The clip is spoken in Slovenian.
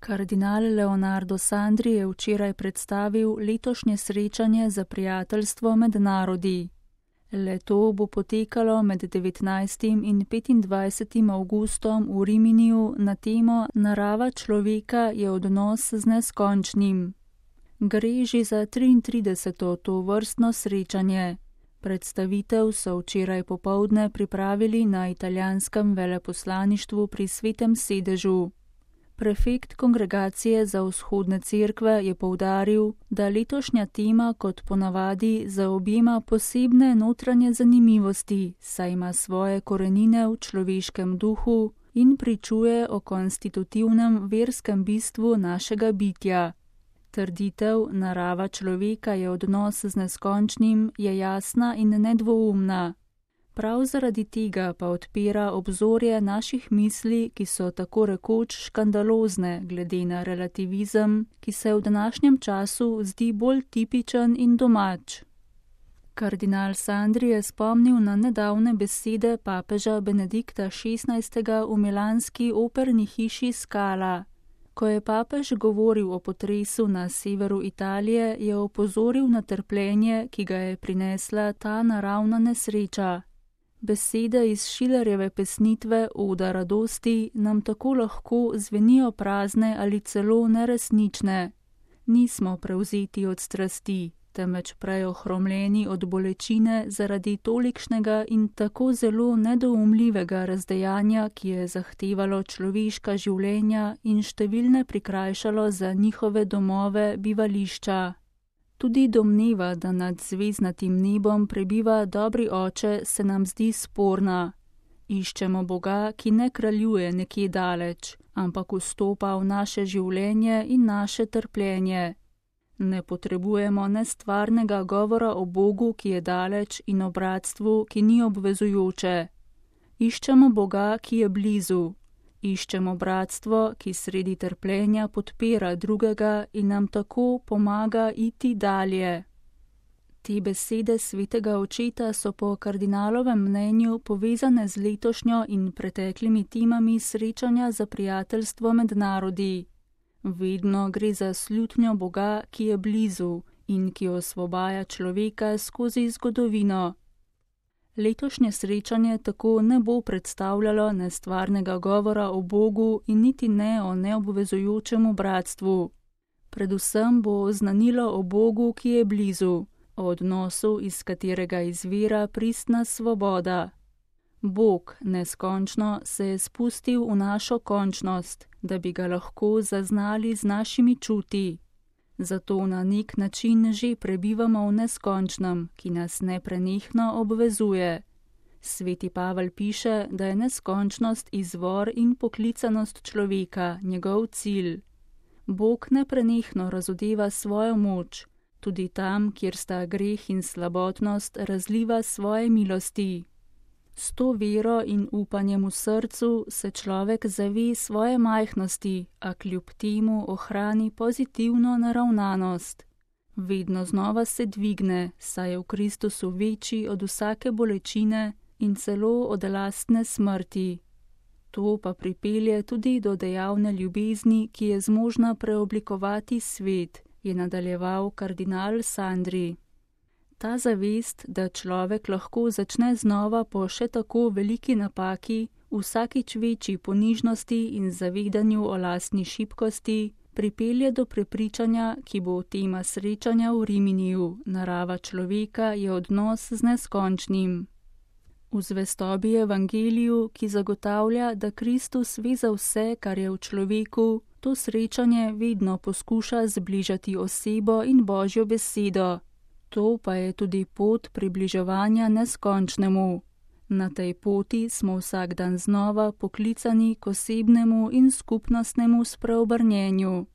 Kardinal Leonardo Sandri je včeraj predstavil letošnje srečanje za prijateljstvo med narodi. Le-to bo potekalo med 19. in 25. avgustom v Riminiju na temo Narava človeka je odnos z neskončnim. Gre že za 33. tovrstno srečanje. Predstavitev so včeraj popoldne pripravili na italijanskem veleposlaništvu pri Svetem sedežu. Prefekt Kongregacije za vzhodne cerkve je poudaril, da letošnja tema kot ponavadi zaobjema posebne notranje zanimivosti, saj ima svoje korenine v človeškem duhu in pričuje o konstitutivnem verskem bistvu našega bitja. Trditev narava človeka je odnos z neskončnim je jasna in nedvoumna. Prav zaradi tega pa odpira obzorje naših misli, ki so tako rekoč škandalozne glede na relativizem, ki se v današnjem času zdi bolj tipičen in domač. Kardinal Sandri je spomnil na nedavne besede papeža Benedikta XVI. V milanski operni hiši Scala. Ko je papež govoril o potresu na severu Italije, je opozoril na trpljenje, ki ga je prinesla ta naravna nesreča. Besede iz Schillerjeve pesnitve Oda radosti nam tako lahko zvenijo prazne ali celo neresnične. Nismo prevzeti od strasti, temveč prej ohromljeni od bolečine zaradi tolikšnega in tako zelo nedoumljivega razdejanja, ki je zahtevalo človeška življenja in številne prikrajšalo za njihove domove, bivališča. Tudi domneva, da nad zvezdnatim nebom prebiva dobri oče, se nam zdi sporna. Iščemo Boga, ki ne kraljuje nekje daleč, ampak vstopa v naše življenje in naše trpljenje. Ne potrebujemo nestvarnega govora o Bogu, ki je daleč, in o bratstvu, ki ni obvezujoče. Iščemo Boga, ki je blizu. Iščemo bratstvo, ki sredi trpljenja podpira drugega in nam tako pomaga iti dalje. Te besede svetega očeta so po kardinalovem mnenju povezane z letošnjo in preteklimi temami srečanja za prijateljstvo med narodi. Vedno gre za slutnjo Boga, ki je blizu in ki osvobaja človeka skozi zgodovino. Letošnje srečanje tako ne bo predstavljalo nestvarnega govora o Bogu in niti ne o neobvezujočemu bratstvu. Predvsem bo oznanilo o Bogu, ki je blizu, o odnosu, iz katerega izvira pristna svoboda. Bog neskončno se je spustil v našo končnost, da bi ga lahko zaznali z našimi čuti. Zato na nek način že prebivamo v neskončnem, ki nas neprenehno obvezuje. Sveti Pavel piše, da je neskončnost izvor in poklicanost človeka, njegov cilj. Bog neprenehno razodeva svojo moč, tudi tam, kjer sta greh in slabotnost, razliva svoje milosti. S to vero in upanjem v srcu se človek zave svoje majhnosti, a kljub temu ohrani pozitivno naravnanost. Vedno znova se dvigne, saj je v Kristusu večji od vsake bolečine in celo od lastne smrti. To pa pripelje tudi do dejavne ljubezni, ki je zmožna preoblikovati svet, je nadaljeval kardinal Sandri. Ta zavest, da človek lahko začne znova po še tako veliki napaki, vsakič večji ponižnosti in zavedanju o lastni šibkosti, pripelje do prepričanja, ki bo tema srečanja v Riminiju, narava človeka je odnos z neskončnim. V zvestobi Evangeliju, ki zagotavlja, da Kristus ve za vse, kar je v človeku, to srečanje vedno poskuša zbližati osebo in Božjo besedo. To pa je tudi pot približevanja neskončnemu. Na tej poti smo vsak dan znova poklicani k osebnemu in skupnostnemu spreobrnjenju.